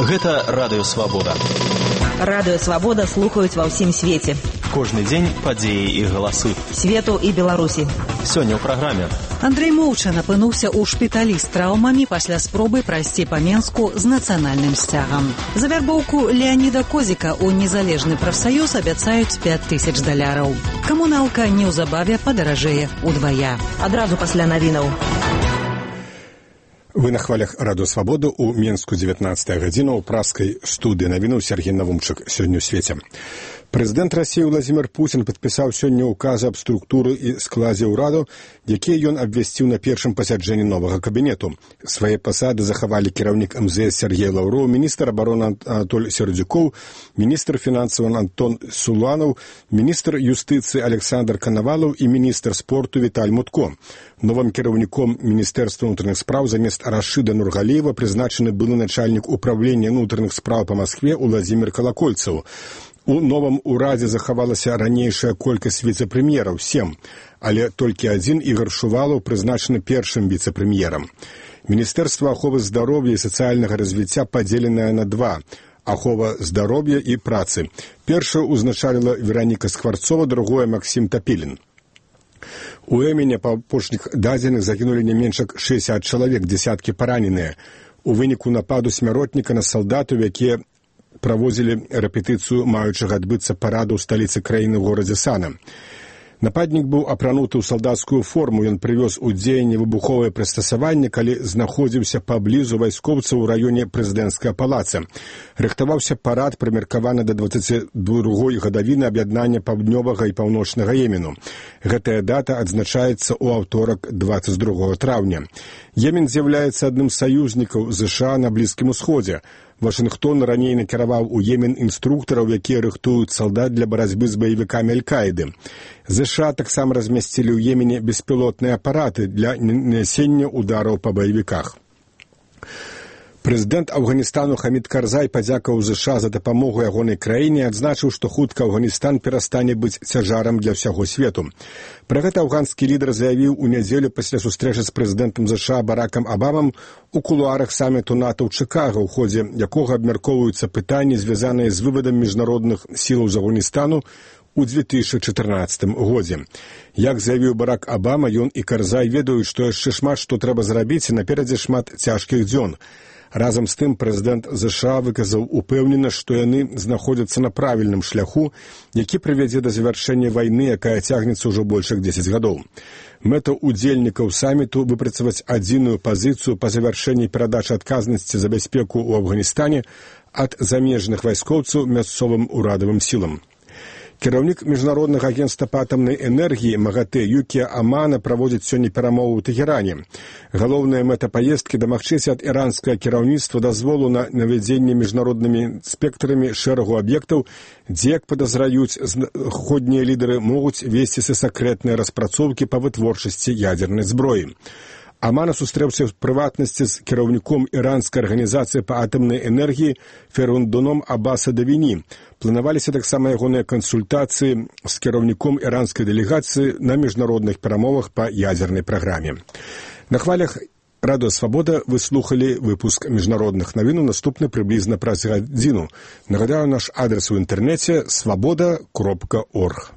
Гэта Радыё Свабода. Радыё Свабода слухаюць ва ўсім свеце. Кожны дзень падзеі і галасы. Свету і Беларусі. Сёння ў праграме. Андрэй Моўчан апынуўся ў шпіталі з траўмамі пасля спробы прайсці па Менску з нацыянальным сцягам. За вярбоўку Леаніда Козіка ў незалежны прафсаюз абяцаюць $5000. Камуналка неўзабаве падаражэе ўдвая. Адразу пасля навінаў. Вы на хвалях Радыё Свабода ў Менску 19 гадзіна ў праскай студыі навінаў Сергей Навумчык сёння ў свеце. Прэзідэнт Расіі Владзімір Пуцін падпісаў сёння ўказы аб структуры і складзе ўраду, якія ён абвясціў на першым пасяджэнні новага кабінету. Свае пасады захавалі кіраўнік МЗС Сергей Лаўроў, міністр абароны Анатоль Сердзюкоў, міністр фінансаў Антон Суланаў, міністр юстыцыі Александр Канавалаў і міністр спорту Віталь Мутко. Новым кіраўніком Міністэрства ўнутраных спраў замест Рашыда Нургаліева прызначаны былы начальнік управлення ўнутраных спраў па Маскве Уладзімір Калакольцаў. У новым урадзе захавалася ранейшая колькасць віцэ-прэм'ераў – 7, але толькі адзін Ігар Шувалаў прызначаны першым віцэ-прэм'ерам. Міністэрства аховы здароўя і сацыяльнага развіцця падзеленае на 2 – ахова здароўя і працы. Першую узначаліла Вераніка Скварцова, другое – Максім Тапілін. У Эміне па апошніх дадзеных загінулі не менш як 60 чалавек, дзесяткі параненыя. У выніку нападу смяротніка на салдатаў, якія праводзілі рэпетыцыю маючага адбыцца параду ў сталіцы краіны ў горадзе Сана. Нападнік быў апрануты ў салдацкую форму, ён прывёз у дзеянне выбуховае прыстасаванне, калі знаходзіўся паблізу вайскоўцаў у раёне прэзідэнцкага палаца. Рыхтаваўся парад, прымеркаваны да 22-й гадавіны аб'яднання паўднёвага і паўночнага Йемену. Гэтая дата адзначаецца ў аўторак 22 траўня. Йемен з'яўляецца адным з саюзнікаў ЗША на Блізкім усходзе. Вашынгтон раней накіраваў у Йемен інструктараў, якія рыхтуюць салдат для барацьбы з баевікамі Аль-Каіды. ЗША таксама размясцілі ў Йемене беспілотныя апараты для нанясення удараў па баевіках. Прэзідэнт Афганістану Хамід Карзай падзякаваў ЗША за дапамогу ягонай краіне і адзначыў, што хутка Афганістан перастане быць цяжарам для ўсяго свету. Пра гэта афганскі лідар заявіў у нядзелю пасля сустрэчы з прэзідэнтам ЗША Баракам Абамам у кулуарах саміту НАТО ў Чыкага, у ходзе якога абмяркоўваюцца пытанні, звязаныя з вывадам міжнародных сілаў з Афганістану у 2014 годзе. Як заявіў Барак Абама, ён і Карзай ведаюць, што яшчэ шмат што трэба зрабіць і наперадзе шмат цяжкіх дзён. Разам з тым прэзідэнт ЗША выказаў упэўненасць, што яны знаходзяцца на правільным шляху, які прывядзе да завяршэння вайны, якая цягнецца ўжо больш як 10 гадоў. Мэта удзельнікаў саміту выпрацаваць адзіную пазіцыю па завяршэнні перадачы адказнасці за бяспеку ў Афганістане ад замежных вайскоўцаў мясцовым урадавым сілам. Кіраўнік Міжнароднага агенцтва па атамнай энергіі МАГАТЭ Юкія Амана праводзіць сёння перамовы ў Тэхеране. Галоўная мэта паездкі дамагчыся ад іранскага кіраўніцтва дазволу на навядзенне міжнароднымі спектрамі шэрагу аб'ектаў, дзе, як падазраюць заходнія лідары, могуць весціся сакрэтныя распрацоўкі па вытворчасці ядзернай зброі. Амана сустрэўся в прыватнасці з кіраўніком іранскай арганізацыі па атамнай энергіі Ферундуном Аббаса Давіні. Планаваліся таксама ягоныя кансультацыі з кіраўніком іранскай дэлегацыі на міжнародных перамовах па ядзернай праграме. На хвалях Радыё Свабода вы слухалі выпуск міжнародных навін, наступны прыблізна праз гадзіну. Нагадаю, наш адрес у інтэрнэце свабода.орг.